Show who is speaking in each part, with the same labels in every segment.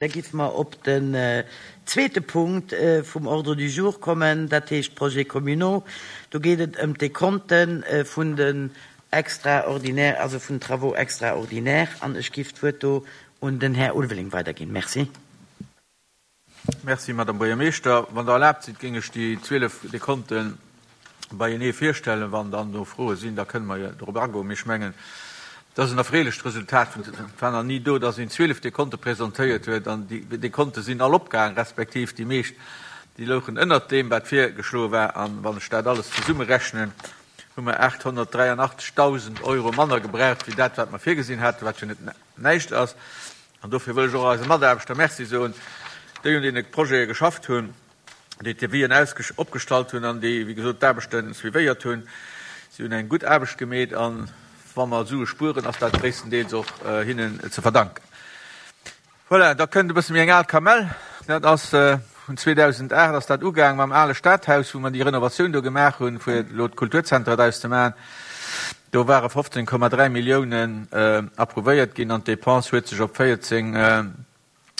Speaker 1: Da géife mer op den zweete Punkt vum Ordre du jour kommen, dat heescht d'Projets communaux. Do geet et ëm d'Dekonte vun den extraordinaires, also vun den Travaux extraordinaires. An ech géif d'Wuert do un den Här Ulveling weiderginn. Merci.
Speaker 2: Merci, Madame Buergermeeschter. Wann Der erlaabt sidd, géing ech déi 12 Dekonten beienee virstellen. Wann dann do Froe sinn, da kënne mer jo dorop agoen. Mee ech mengen, et ass en erfreelecht Resultat. Et war nach ni do, dass een 12 Dekonte presentéiert huet an déi Dekonte sinn all opgaang, respektiv déi meescht, déi louchen ënnert deem, wat virgeschloe war. A wann ech dat alles zesummerechnen, hu mer 883.000 Euro manner gebraucht wéi dat, wat mer virgesinn haten, wat jo net näischt ass. An dofir wëll ech och eise Mataarbechter Merci soen, déi un deene Projete geschafft hunn. déi d'Devisen opgestallt hunn an déi, wéi gesot, d'Aarbechte suivéiert hunn. Si hunn eng gutt Aarbecht gemeet a wa mer Sue spueren, ass dat gréisstendeels och hinnen ze verdanken. Voilà, da kënnt e bësse méi eng al Kamell. Dat ass vun 2008 ass dat ugaang mam ale Stadhaus, wou mer déi Renovatioun do gemaach hunn, fir elo d'Kulturzenter draus ze maachen. Do ware 15,3 Milliounen approuvéiert ginn an d'Depense huet sech op 14,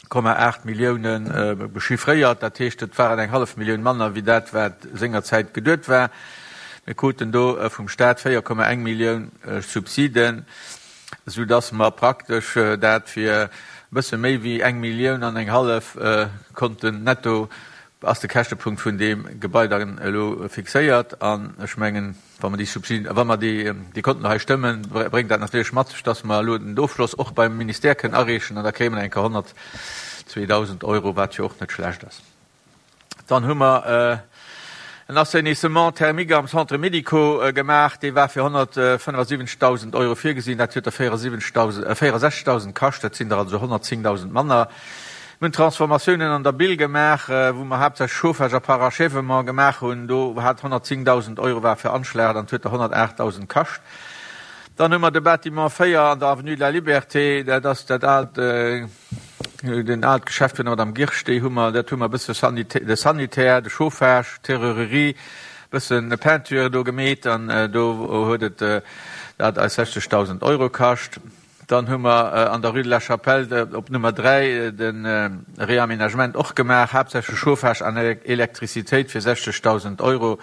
Speaker 2: 8 Millioune bechiffréiert. Dat heescht, et waren eng hallef Millioun manner wéi dat, wat sengerzäit geduet war. Mir kruten do vum Staat 4,1 Millioun Subsiden, soudass mer praktesch dat fir e bësse méi wéi eng Millioun an eng hallef konnten netto, ass de Käschtepunkt vun deem Gebai dann elo fixéiert. An ech mengen, Wa mer déi Subsiden, wa mer déi, déi Konten hei stëmmen, bréngt dat natierlech mat sech, dass mer elo den Ofschloss och beim Ministère kënnen areechen an da kréie mer eng Kéier 102.000 Euro, wat jo och net schlecht ass. Dann hu mer en Assainissement thermique am Centre médico gemaach, dee war fir 175.000 Euro virgesinn, dat huet der 74.000, 64.000 kascht, dat sinn der also 110.000 manner. Mir hunn Transformatiounen an der Bill gemaach, wou mer haaptsächlech Chauffage a Parachèvement gemaach hunn. Do hat 110.000 Euro war veranschlagt an et huet der 108.000 kascht. Dann hu mer de Bâtiment 4 an der Avenue de la Liberté, dat ass dat aalt, den aalt Geschäft vun der Madame Girsch, déi hu mer, dat hu mer e bësse de Sanitaire, de Chauffage, d'Serrurerie, e bësse Peinture do gemeet an do huet et dat eis 60.000 Euro kascht. Dann hu mer an der Rue de la Chapelle op Nummer 3 de Réaménagement och gemaach, haaptsächlech Chauffage an Elektrizitéit fir 60.000 Euro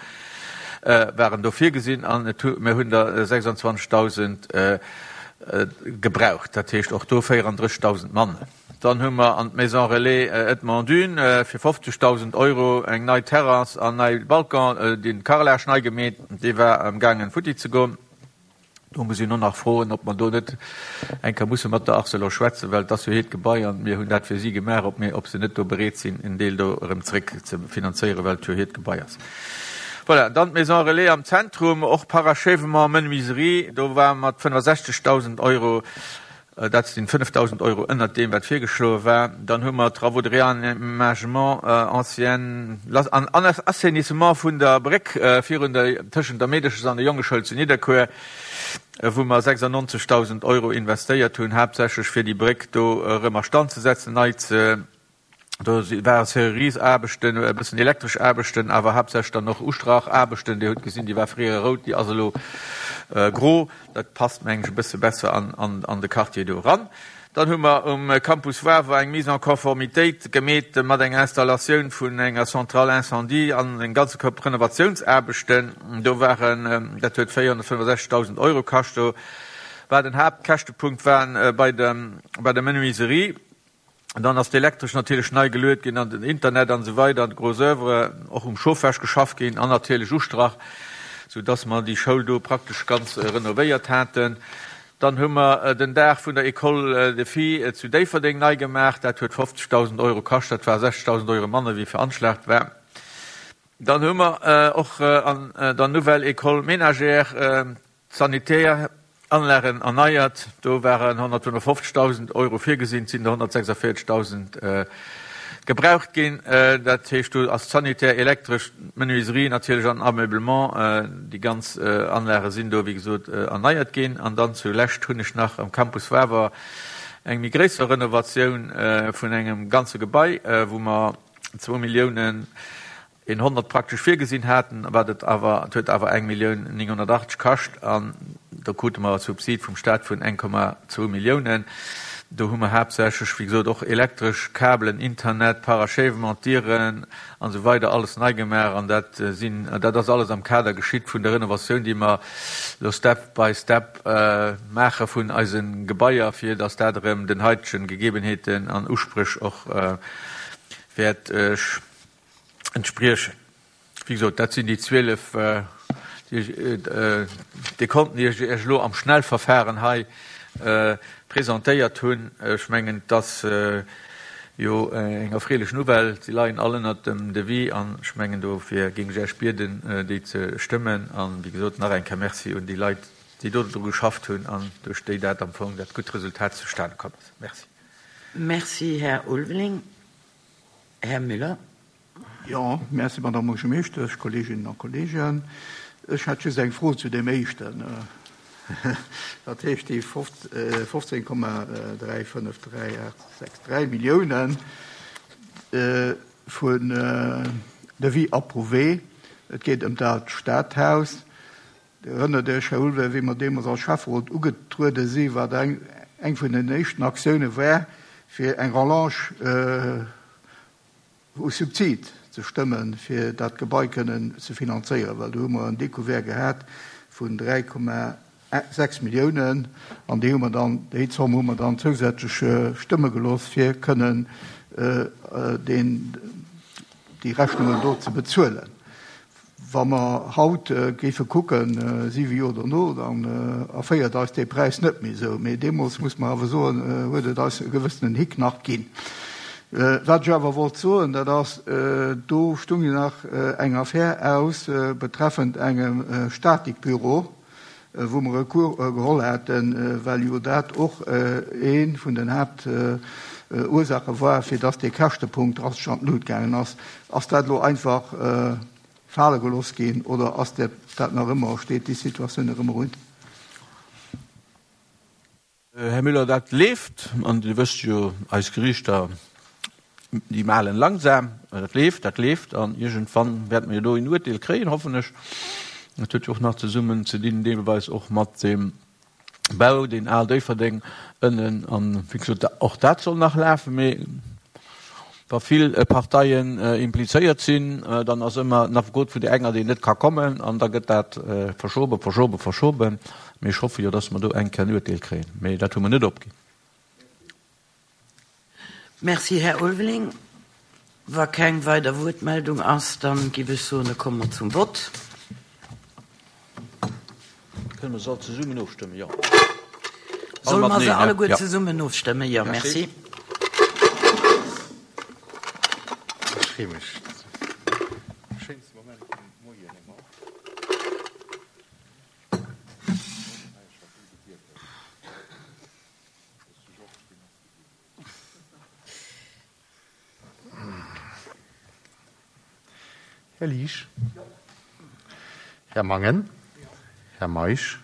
Speaker 2: waren do virgesinn an et hu mir hunn der 26.000 gebraucht, dat heescht och do 34.000 manner. Dann hu mer an d'Maison Relais Edmond Dune fir 50.000 Euro eng nei Terrasse an nei Balcon, den Carrelage nei gemeet, dee war amgaangen futti ze goen. Do muss een och nach froen, ob mer do net eng Kéier musse mat der Arcelor schwätzen, well et ass jo hiert Gebai an mir hunn dat fir si gemaach, ob mir, ob se net do bereet sinn, en Deel do erëm zréck ze finanzéieren, well et jo hiert Gebai ass. Voilà, dann d'Maison Relais am Zentrum, och Parachèvement, Menuiserie, do ware mat 65.000 Euro Dat sinn 5.000 Euro ënnert deem, wat virgeschloe war. Dann hu mer Travaux de réaménagement ancien an assainissement vun der Bréck virun der, tëschent der Meedeches an der Jongeschoul zu Nidderkuer, wou mer 96.000 Euro investéiert hunn, haaptsächlech fir déi Bréck do erëm a Stand ze setzen, nei ze Do ware Serruriesaarbechten, e bëssen elektresch Aarbechten, awer haaptsächlech dann och Ustrachaarbechten. Dir hutt gesinn, déi war fréier rout, déi ass elo gro. Dat passt, mengen ech, e bësse besser an de Quartier do eran. Dann hu mer um Campus Wawer eng Mise en conformitéit gemeet mat enger Installatioun vun enger Centrale incendie an en ganze Koup Renovatiounsaarbechten. Do waren, dat huet 465.000 Euro kascht. Do war den Haaptkäschtepunkt war bei der Menuiserie. Dann ass d'Elektresch natierlech nei geluet ginn an den Internet an esou weider an d'Gros Oeuvre, och um Chauffage geschafft ginn an natierlech Ustrach, sou dass mer déi Schoul do praktesch ganz renovéiert haten. Dann hu mer den Daach vun der École des Filles zu Déifferdeng nei gemaach. Dat huet 50.000 Euro kascht, dat war 60.000 Euro manner wéi veranschlagt war. Dann hu mer och an der Nouvelle École ménagère D'sanitär Anlagen erneiert, do waren 155.000 Euro virgesinn, et sinn der 146.000 gebraucht ginn. Dat heescht, do ass d'sanitär, elektresch, d'Menuiserie natierlech an Ameublement, déi ganz Anlage sinn do wéi gesot erneiert ginn. An dann zulescht hunn ech nach am Campus Wawer eng méi gréisser Renovatioun vun engem ganze Gebai, wou mer zwou Milliounen 100 praktesch virgesinn haten, wat et awer, et huet awer 1.980.000 kascht an do krute mer e Subsid vum Staat vun 1,2 Milliounen. Do hu mer haaptsächlech, wéi gesot, och elektresch Kabelen, Internet, Parachèvement, Dieren an esou weider alles nei gemaach. An dat sinn, dat ass alles am Kader geschitt vun der Renovatioun, déi mer elo step by step maache vun eise Gebaier, fir dass dat erëm den haitegen Gegebenheeten an Uspréch och wäert entspriechen. Wéi gesot, dat sinn déi 12 Dekonten, déi ech Iech elo am Schnellverfahren hei presentéiert hunn. Ech mengen, et ass jo eng erfreelech Nouvelle. Si leien all ënnert dem Devis an ech mengen, dofir géing ech Iech bieden, déi ze stëmmen. A wéi gesot, nach eng Kéier Merci un déi Leit, déi do dru geschafft hunn an duerch déi dat am Fong dat gutt Resultat zustane komm ass. Merci.
Speaker 1: Merci, Här Ulveling. Här Müller.
Speaker 3: Jo, merci, Madamm Buergermeeschtesch, Kolleeginnen a Kolleegen. Ech hätt just eng Fro zu deem éischten, dat heescht déi 15,353863 Milliounen vun Devis approuvé. Et geet ëm dat Stadhaus. Dir erënnert Iech, Här Ulveling, wéi mer deemools als Schäfferot ugetruede si wat eng vun den éischten Aktioune war, fir eng Rallonge u Subsid ze stëmmen, fir dat Gebai kënnen ze finanzéieren, well do hu mer en Découvert gehat vun 3,6 Milliounen an déi hu mer dann, déi Zomm hu mer dann zousätzlech stëmme gelooss, fir kënnen deen, déi Rechnungen do ze bezuelen. Wa mer haut géife kucken, siwe Joer dono, dann erféiert eis dee Präis net méi esou. Mee deemools, muss mer awer soen, huet et eis e gewëssenen Hick nach ginn. Wat ech awer wollt soen, dat ass, do stung jo nach eng Affär aus betreffend engem Statikbüro, wou mer Recours geholl haten, well jo dat och ee vun den Haaptursaache war, fir dass dee Käschtepunkt drastesch an d'Lut gaangen ass. Ass dat elo einfach fale gelooss ginn oder ass dat nach ëmmer, steet déi Situatioun nach ëmmer un?
Speaker 2: Här Müller, dat leeft, an Dir wësst jo, eis Geriichter, déi malen langsam. Dat leeft, dat leeft, an iergendwann wäerte mer jo do een Uerteel kréien, hoffen ech. Dat huet jo och nach zesummen ze dinn deelweis och mat deem Bau, deen Al Déifferdeng ënnen, an wéi gesot, och dat soll nach lafen. Mee wa vill Parteien implizéiert sinn, dann ass ëmmer en Affekot vun där enger, deen net ka kommen, an da gëtt dat verschoben, verschoben, verschoben. Mee ech hoffe jo, dass mer do eng Kéier en Uerteel kréien. Mee dat hu mer net opginn.
Speaker 1: Merci, Här Ulveling. Wa keng weider Wuertmeldung ass, da giff ech soen, da komme mer zum Vott.
Speaker 2: Kënne mer se all zesummen ofstëmmen? Jo.
Speaker 1: Solle mer se alleguer zesummen ofstëmmen? Jo. Merci.
Speaker 4: Ech freeë mech. Schéinste Moment vum Moien ëmmer. Här Liesch. Här Mangen. Här Meisch.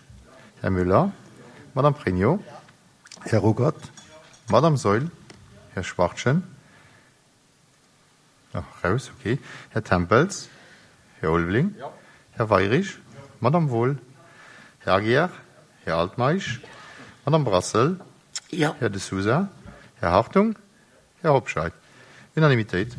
Speaker 4: Här Müller. Madame Pregno. Här Ruckert. Madame Saeul. Här Schwachtgen. Raus, okay. Här Tempels. Här Ulveling. Här Weirich. Madame Wohl. Här Aguiar. Här Altmeisch. Madame Brassel.
Speaker 1: Här
Speaker 4: De Sousa. Här Hartung. Här Hobscheit. Unanimitéit.